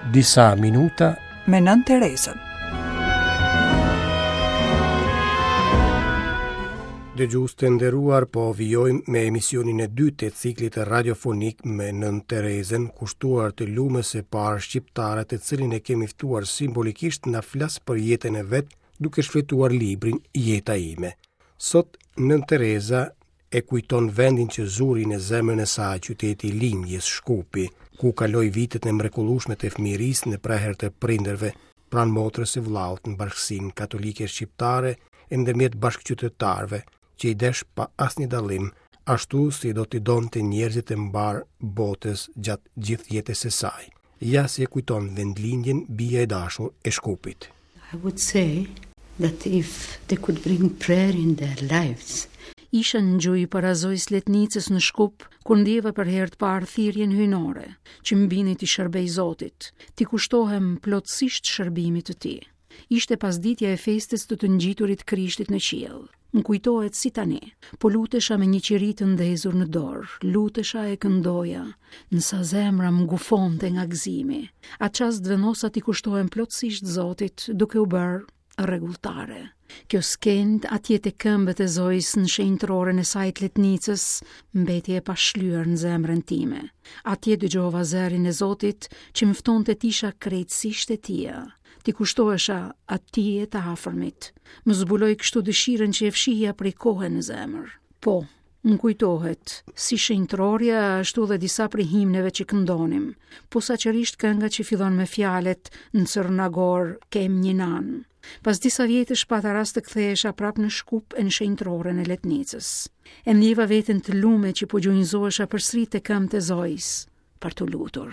Disa minuta me Nënë Terezën. Dëgjues të nderuar, po vijojmë me emisionin e dytë të ciklit radiofonik me Nënë Terezën, kushtuar të lumes së parë shqiptare të cilin e kemi ftuar simbolikisht të na flasë për jetën e vet, duke shfletuar librin Jeta ime. Sot Nënë Tereza e kujton vendin që zuri në zemrën e saj, qyteti i lindjes, Shkupi, ku kaloi vitet e mrekullueshme të fëmijërisë në prehër të prindërve, pranë motrës e vëllaut në bashkësinë katolike shqiptare e ndërmjet bashkëqytetarëve, që i desh pa asnjë dallim, ashtu si do t'i donte njerëzit e mbarë botës gjatë gjithë jetës së saj. Ja si e kujton vendlindjen bija e dashur e Shkupit. I would say that if they could bring prayer in their lives. Isha në gjunjë para Zojës Letnicës në Shkup, kur ndjeva për herë të parë thirrjen hyjnore, që më bindi t'i shërbej Zotit, t'i kushtohem plotësisht shërbimit të tij. Ishte pasditja e festës të të ngjiturit Krishtit në qiell. Më kujtohet si tani. Po lutesha me një qiri të ndezur në dorë, lutesha e këndoja, ndërsa zemra më gufonte nga gëzimi. Atë çast vendosa t'i kushtohem plotësisht Zotit, duke u bërë rregulltare. Kjo skenë atje te këmbët e Zojës në shenjtëroren e saj të Letnicës mbeti e pashlyer në zemrën time. Atje dëgjova zërin e Zotit që më ftonte të isha krejtësisht e tija. T'i kushtohesha atij e të afërmit. Më zbuloi kështu dëshirën që e fshihja prej kohe në zemër. Po, më kujtohet, si shenjtërorja ashtu dhe disa prej himneve që këndonim, posaçërisht kënga që fillon me fjalët në Crna Gorë kem një nanë. Pas disa vjetësh pata rast të kthehesha prapë në Shkup e në shenjtëroren e Letnicës. E ndjeva veten të lume që po gjunjëzohesha përsëri te këmbët e Zojës. për t'u lutur.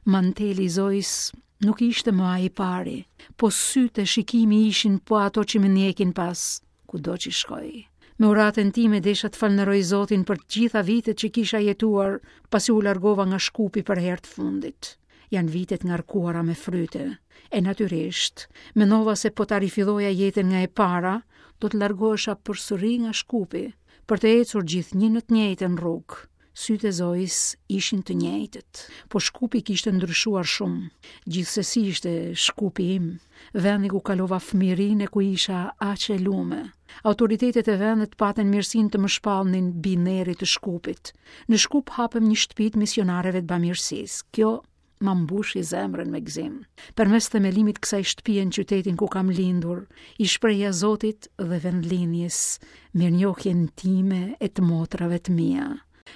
Manteli i Zojës nuk ishte më ai i pari, po sytë e shikimi ishin po ato që më ndjekin pas, kudo që shkoj. Me uratën time desha të falënderoj Zotin për të gjitha vitet që kisha jetuar pasi u largova nga Shkupi për herë të fundit. Janë vite të ngarkuara me fryte. E natyrisht, mendova se po ta rifilloja jetën nga e para, do të largohesha përsëri nga Shkupi, për të ecur gjithnjë në të njëjtën rrugë. Sytë e Zojës ishin të njëjtët, po Shkupi kishte ndryshuar shumë. Gjithsesi ishte Shkupi im, vendi ku kalova fëmijërinë e ku isha aq e lume. Autoritetet e vendit patën mirësinë të më shpallnin bijë nderi të Shkupit. Në Shkup hapëm një shtëpi të misionareve të bamirësisë. Kjo ma mbushi zemrën me gëzim. Përmes themelimit kësaj shtëpie në qytetin ku kam lindur, i shprehja Zotit dhe vendlindjes mirënjohjen time e të motrave të mia.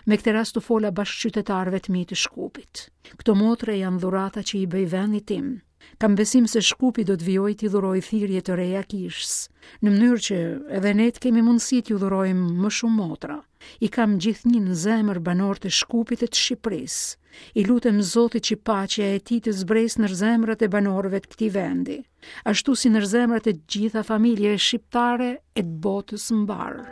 Me këtë rast u fola bashkëqytetarëve të mi të Shkupit. Këto motra janë dhurata që i bëj vendit tim. Kam besim se Shkupi do të vijojë t'i dhurojë thirrje të reja kishës, në mënyrë që edhe ne të kemi mundësi t'ju dhurojmë më shumë motra. I kam gjithnjë në zemër banorët e Shkupit e të Shqipërisë. I lutem Zotit që paqja e tij të zbresë në zemrat e banorëve të këtij vendi, ashtu si në zemrat e të gjitha familjeve shqiptare e të botës mbarë.